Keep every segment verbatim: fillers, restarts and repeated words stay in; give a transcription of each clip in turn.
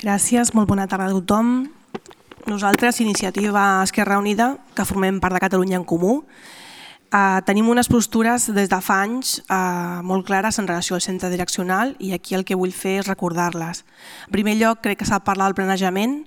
Gràcies, molt bona tarda a tothom. Nosaltres, Iniciativa Esquerra Unida, que formem part de Catalunya en Comú, eh, tenim unes postures des de fa anys eh, molt clares en relació al centre direccional i aquí el que vull fer és recordar-les. En primer lloc, crec que s'ha de parlar del planejament.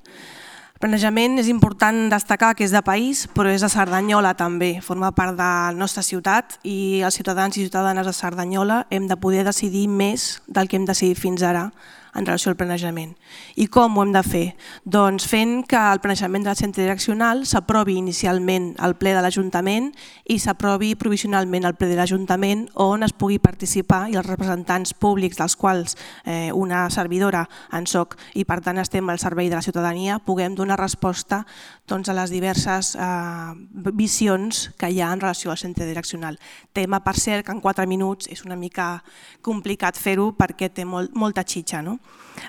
El planejament és important destacar que és de país, però és de Cerdanyola també. Forma part de la nostra ciutat i els ciutadans i ciutadanes de Cerdanyola hem de poder decidir més del que hem decidit fins ara en relació al planejament. I com ho hem de fer? Doncs fent que el planejament del centre direccional s'aprovi inicialment al ple de l'Ajuntament i s'aprovi provisionalment al ple de l'Ajuntament on es pugui participar i els representants públics dels quals eh, una servidora en soc i per tant estem al servei de la ciutadania puguem donar resposta doncs, a les diverses eh, visions que hi ha en relació al centre direccional. Tema, per cert, que en quatre minuts és una mica complicat fer-ho perquè té molt, molta xitxa, no?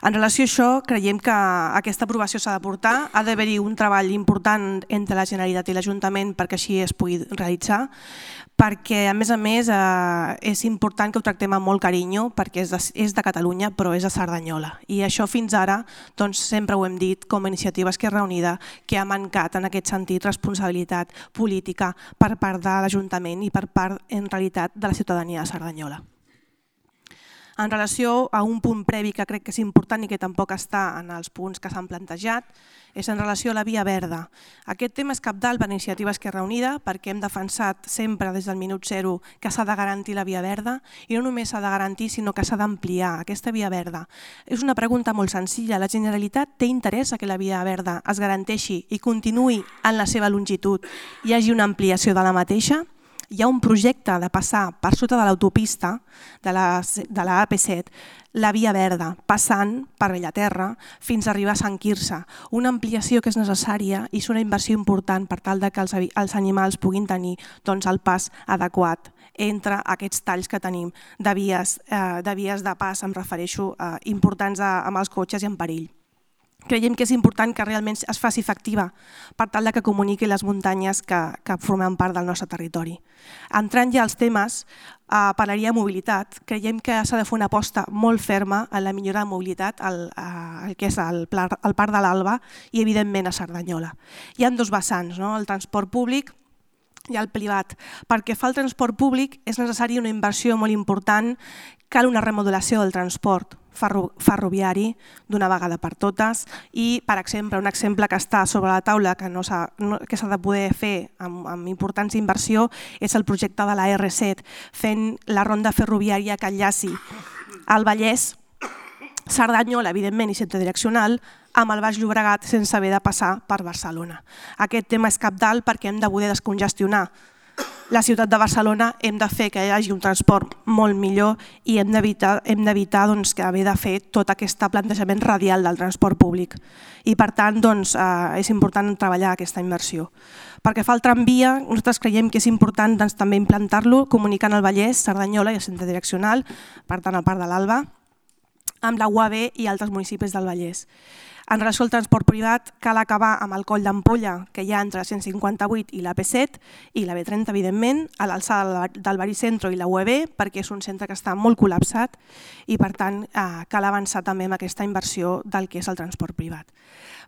En relació a això, creiem que aquesta aprovació s'ha de portar, ha d'haver-hi un treball important entre la Generalitat i l'Ajuntament perquè així es pugui realitzar, perquè a més a més eh, és important que ho tractem amb molt carinyo perquè és de, és de Catalunya però és de Cerdanyola i això fins ara doncs, sempre ho hem dit com a Iniciativa Esquerra Unida que ha mancat en aquest sentit responsabilitat política per part de l'Ajuntament i per part en realitat de la ciutadania de Cerdanyola. En relació a un punt previ que crec que és important i que tampoc està en els punts que s'han plantejat, és en relació a la via verda. Aquest tema és cabdal per l'Iniciativa Esquerra Unida perquè hem defensat sempre des del minut zero que s'ha de garantir la via verda i no només s'ha de garantir sinó que s'ha d'ampliar aquesta via verda. És una pregunta molt senzilla. La Generalitat té interès que la via verda es garanteixi i continuï en la seva longitud i hi hagi una ampliació de la mateixa? Hi ha un projecte de passar per sota de l'autopista de la, de la A P set, la via verda, passant per Bellaterra fins a arribar a Sant Quirze. Una ampliació que és necessària i és una inversió important per tal que els, els animals puguin tenir doncs, el pas adequat entre aquests talls que tenim de vies eh, de, vies de pas, em refereixo, eh, importants a, amb els cotxes i en perill. Creiem que és important que realment es faci efectiva per tal que comuniqui les muntanyes que, que formen part del nostre territori. Entrant ja als temes, eh, parlaria de mobilitat. Creiem que s'ha de fer una aposta molt ferma en la millora de mobilitat al, al que és el, el Parc de l'Alba i evidentment a Cerdanyola. Hi ha dos vessants, no? El transport públic i el privat. Perquè fa el transport públic és necessària una inversió molt important, cal una remodelació del transport ferroviari d'una vegada per totes i, per exemple, un exemple que està sobre la taula que no s'ha no, que s'ha de poder fer amb, amb importants inversió és el projecte de la erre set, fent la ronda ferroviària que enllaci al Vallès, Cerdanyola, evidentment, i centre direccional, amb el Baix Llobregat sense haver de passar per Barcelona. Aquest tema és cabdal perquè hem de poder descongestionar la ciutat de Barcelona, hem de fer que hi hagi un transport molt millor i hem d'evitar hem d'evitar doncs, que haver de fer tot aquest plantejament radial del transport públic. I per tant doncs, eh, és important treballar aquesta inversió. Perquè fa el tramvia, nosaltres creiem que és important doncs, també implantar-lo comunicant el Vallès, Cerdanyola i el centre direccional, per tant el Parc de l'Alba, amb la U A B i altres municipis del Vallès. En relació al transport privat, cal acabar amb el coll d'ampolla que hi ha entre cent cinquanta-vuit i la A P set i la B trenta, evidentment, a l'alçada del Baricentro i la U E B, perquè és un centre que està molt col·lapsat i, per tant, eh, cal avançar també amb aquesta inversió del que és el transport privat.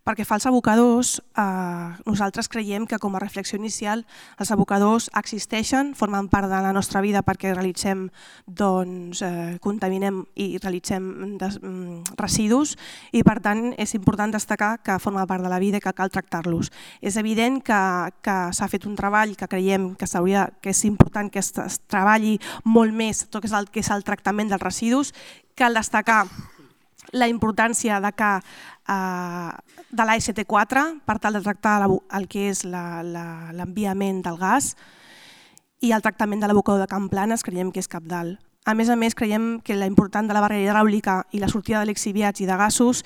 Perquè fa els abocadors, eh, nosaltres creiem que com a reflexió inicial els abocadors existeixen, formen part de la nostra vida perquè realitzem, doncs, eh, contaminem i realitzem des, mm, residus i per tant és important destacar que forma part de la vida i que cal tractar-los. És evident que, que s'ha fet un treball que creiem que, que és important que es, es treballi molt més tot el que és el tractament dels residus. Cal destacar la importància de que eh, de l'A S T quatre per tal de tractar la, el que és l'enviament del gas i el tractament de l'abocador de Can Planes creiem que és cabdal. A més a més, creiem que la important de la barrera hidràulica i la sortida de lixiviats i de gasos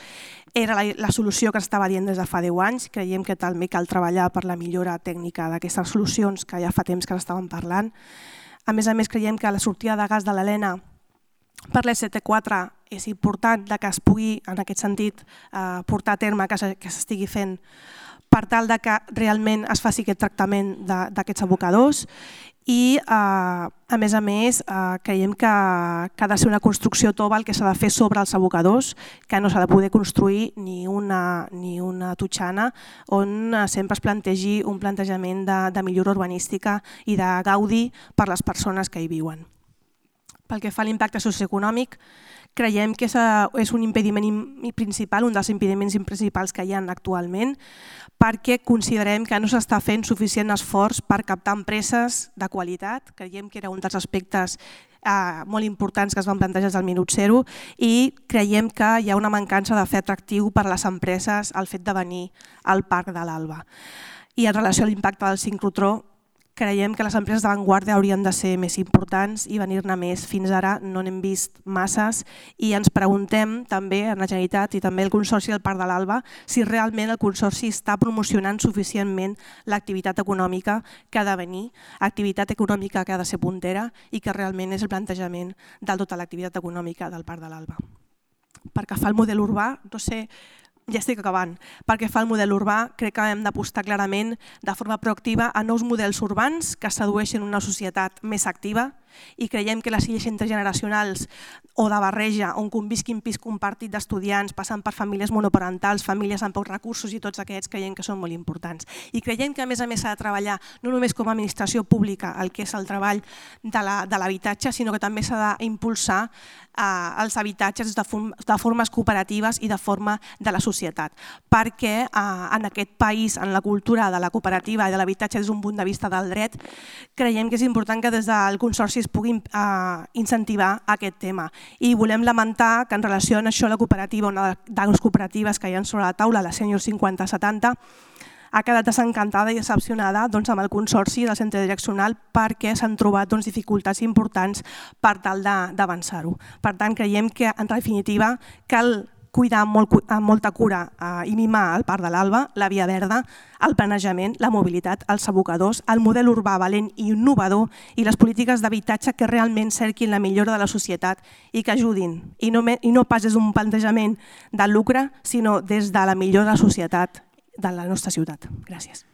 era la, la solució que estava dient des de fa deu anys. Creiem que també cal treballar per la millora tècnica d'aquestes solucions que ja fa temps que n'estàvem parlant. A més a més, creiem que la sortida de gas de l'Helena per l'A S T quatre és important que es pugui, en aquest sentit, portar a terme, que s'estigui fent per tal que realment es faci aquest tractament d'aquests abocadors i a més a més creiem que ha de ser una construcció tova el que s'ha de fer sobre els abocadors, que no s'ha de poder construir ni una totxana on sempre es plantegi un plantejament de millora urbanística i de gaudi per les persones que hi viuen. Pel que fa a l'impacte socioeconòmic, creiem que és un impediment principal, un dels impediments principals que hi ha actualment, perquè considerem que no s'està fent suficient esforç per captar empreses de qualitat. Creiem que era un dels aspectes molt importants que es van plantejar al minut zero i creiem que hi ha una mancança de fer atractiu per a les empreses el fet de venir al Parc de l'Alba. I en relació a l'impacte del sincrotró, creiem que les empreses d'avantguarda haurien de ser més importants i venir-ne més. Fins ara no n'hem vist masses i ens preguntem també en la Generalitat i també el Consorci del Parc de l'Alba si realment el Consorci està promocionant suficientment l'activitat econòmica que ha de venir, activitat econòmica que ha de ser puntera i que realment és el plantejament de tota l'activitat econòmica del Parc de l'Alba. Pel que fa al model urbà, no sé... Ja estic acabant. Pel que fa al model urbà, crec que hem d'apostar clarament de forma proactiva a nous models urbans que sedueixen una societat més activa i creiem que les illes intergeneracionals o de barreja on convisquin pis compartit d'estudiants passant per famílies monoparentals, famílies amb pocs recursos i tots aquests creiem que són molt importants. I creiem que a més a més s'ha de treballar no només com a administració pública el que és el treball de l'habitatge, sinó que també s'ha d'impulsar els habitatges de formes cooperatives i de forma de la societat, perquè en aquest país, en la cultura de la cooperativa i de l'habitatge des d'un punt de vista del dret, creiem que és important que des del Consorci es pugui incentivar aquest tema. I volem lamentar que en relació a això la cooperativa, una de les cooperatives que hi ha sobre la taula, la Sènior cinquanta setanta, ha quedat desencantada i decepcionada amb el Consorci del Centre Direccional perquè s'han trobat dificultats importants per tal d'avançar-ho. Per tant, creiem que en definitiva cal cuidar amb molta cura i mimar el Parc de l'Alba, la Via Verda, el planejament, la mobilitat, els abocadors, el model urbà valent i innovador i les polítiques d'habitatge que realment cerquin la millora de la societat i que ajudin, i no pas des d'un plantejament de lucre, sinó des de la millora de la societat de la nostra ciutat. Gràcies.